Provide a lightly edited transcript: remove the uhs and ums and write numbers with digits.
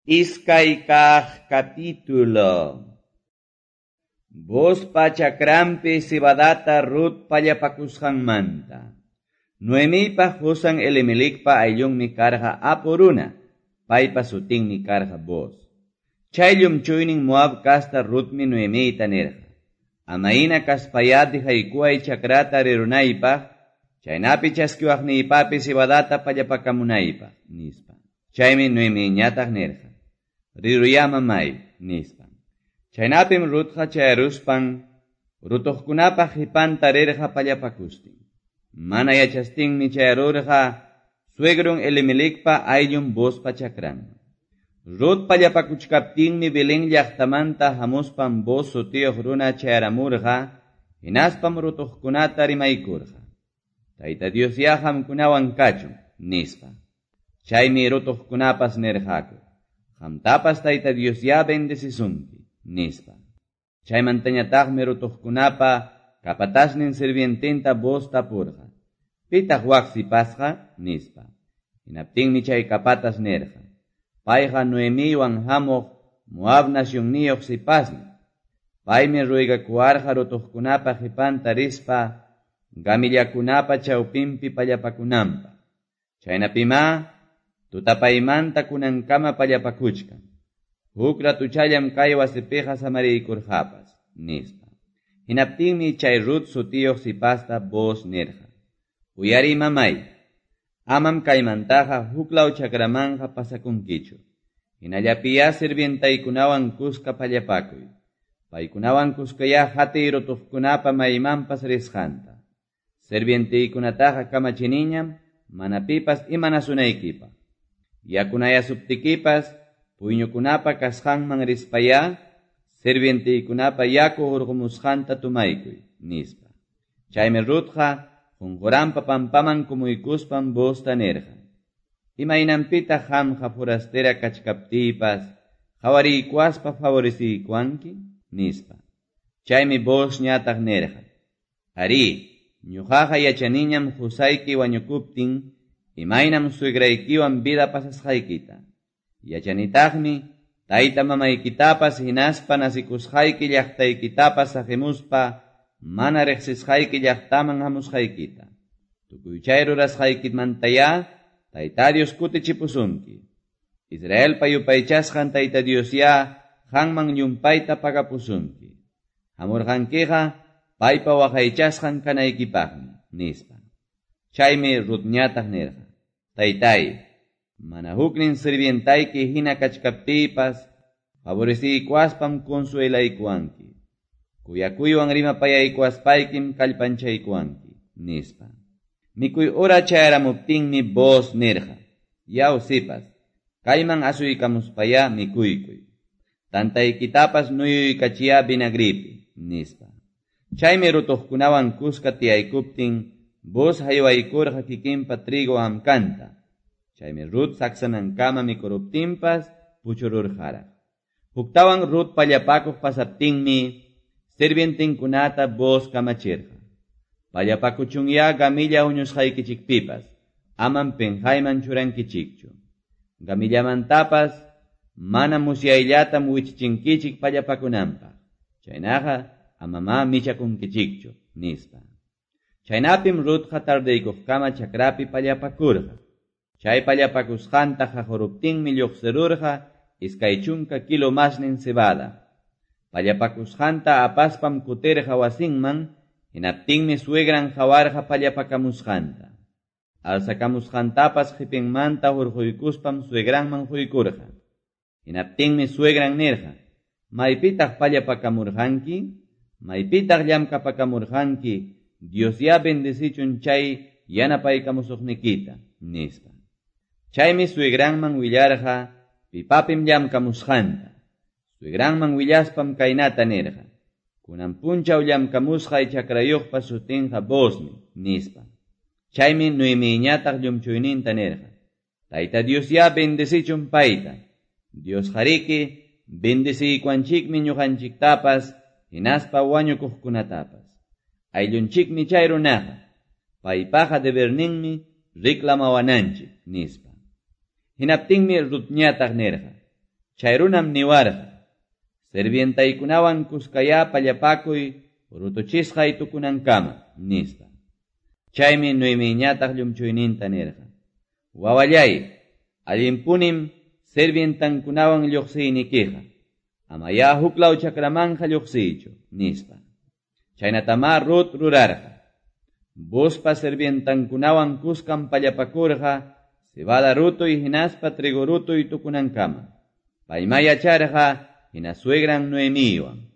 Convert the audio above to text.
Iskay kaq capítulo. Boozpa chakranpi cebadata Rut pallapakusqanmanta. Noemiypa qusan Elimelecpa ayllunmi karqa apu runa, paypa sutinmi karqa Booz. Chay llumchuynin Moab kasta Rutmi Noemiyta nirqa: Amayna kaspayá dejaykuway chakrata rirunaypaq, chaynapi chaskiwaqniypapi cebadata pallapakamunaypaq, nispa. Chaymi Noemiyñataq nirqa: Riruyá mamay, nispa. Chaynapim Rutqa chayaruspan rutuqkunapa qhipanta rirqa pallapakustin. Mana yachastinmi chayarurqa suegrun Elimelecpa ayllun Boozpa chakranman. Rut pallapakuchkaptinmi Belén llaqtamanta hamuspan Booz sutiyuq runa chayaramurqa, hinaspam rutuqkunata rimaykurqa: Tayta Diosyá qamkunawan kachun, nispa. Chaymi rutuqkunapas nirqaku: Qamtapas Tayta Diosyá bendecisunki, nispa. Chaymantañataqmi rutuqkunapa capatasnin sirviententa Booz tapurqa: Pitaq wak sipasqa? Nispa. Hinaptinmi chay capatas nirqa: Payqa Noemiywan hamuq Moab nacionniyuq sipasmi. Paymi ruegakuwarqa rutuqkunapa qhipanta rispa gamillakunapa chawpinpi pallapakunanpaq. Chaynapimá tutapaymanta kunankama pallapakuchkan. Huk ratuchallam kay wasipiqa samariykurqapas, nispa. Hinaptinmi chay Rut sutiyuq sipasta Booz nirqa: Uyariy mamay, amam kaymantaqa huklaw chakramanqa pasakunkichu. Hinallapiyá sirvientaykunawan kuska pallapakuy. Paykunawan kuskayá hatiy rutuqkunapa maymanpas risqanta. Sirvientaykunataqa kamachiniñam mana pipas imanasunaykipaq. Yakunayasuptikipas puyñukunapa kasqanman rispayá sirvientaykunapa yaku hurqumusqanta tumaykuy, nispa. Chaymi Rutqa qunquranpa pampaman kumuykuspan Boozta nirqa: Imaynanpitaq qamqa forastera kachkaptiypas qawariykuwaspa favoreciykuwanki, nispa. Chaymi Boozñataq nirqa: Arí, ñuqaqa yachaniñam qusayki wañukuptin imaynam suegraykiwan vida pasasqaykita. Yachanitaqmi tayta mamaykitapas hinaspa nasikusqayki llaqtaykitapas saqimuspa mana riqsisqayki llaqtaman hamusqaykita. Tukuy chay rurasqaykimantayá Tayta Dios kutichipusunki. Israelpa yupaychasqan Tayta Diosyá qanman llumpayta pagapusunki. Hamurqankiqa paypa waqaychasqan kanaykipaqmi, nispa. Chaymi Rutñataq nirqa: Taytay, mana huknin sirvientayki hina kachkaptiypas favoreciykuwaspam consuelaykuwanki. Kuyakuywan rimapayaykuwaspaykim kallpanchaykuwanki, nispa. Mikuy hora chayaramuptinmi Booz nirqa: Yaw sipas, kayman asuykamuspayá mikuykuy. Tantaykitapas nuyuykachiyá vinagripi, nispa. Chaymi rutuqkunawan kuska tiyaykuptin Booz haywaykurqa kikinpa trigo hamkanta. Chaymi Rut saksanankama mikuruptinpas puchururqaraq. Huktawan Rut pallapakuq pasaptinmi sirvientinkunata Booz kamachirqa: Pallapakuchunyá gamilla huñusqaykichikpipas, amam pinqayman churankichikchu. Gamillamantapas mana musyayllatam wichichinkichik pallapakunanpaq. Chaynaqa amamá michakunkichikchu, nispa. Chaynapim Rutqa tardeykuqkama chakrapi pallapakurqa. Chay pallapakusqanta qaquruptinmi lluqsirurqa 20 kilo masnin cebada. Pallapakusqanta apaspam kutirqa wasinman, hinaptinmi suegran qawarqa pallapakamusqanta. Alsakamusqantapas qhipinmanta hurquykuspam suegranman quykurqa. Hinaptinmi suegran nirqa: Maypitaq pallapakamurqanki? Maypitaq llamkapakamurqanki? Diosyá bendecichun chay yanapaykamusuqnikita, nispa. Chaymi suegranman willarqa pipapim llamkamusqanta. Suegranman willaspam kaynata nirqa: Kunan punchaw llamkamusqay chakrayuqpa sutinqa Boozmi, nispa. Chaymi Noemiyñataq llumchuyninta nirqa: Tayta Diosyá bendecichun payta. Diosqariki bendeciykuwanchikmi ñuqanchiktapas hinaspa wañukuqkunatapas. Ayllunchikmi chay runaqa. Paypaqa deberninmi reclamawananchik, nispa. Hinaptinmi Rutñataq nirqa: Chay runam niwarqa: Sirvientaykunawan kuskayá pallapakuy rutuchisqay tukunankama, nispa. Chaymi Noemiyñataq llumchuyninta nirqa: Wawallay, allinpunim sirvientankunawan lluqsiynikiqa. Amayá huklaw chakramanqa lluqsiychu, nispa. Chaynatamá Rut rurarqa. Boozpa sirvientankunawan kuskam pallapakurqa cebada rutuy hinaspa trigo rutuy tukunankama. Paymá yacharqa hina suegran Noemiywan.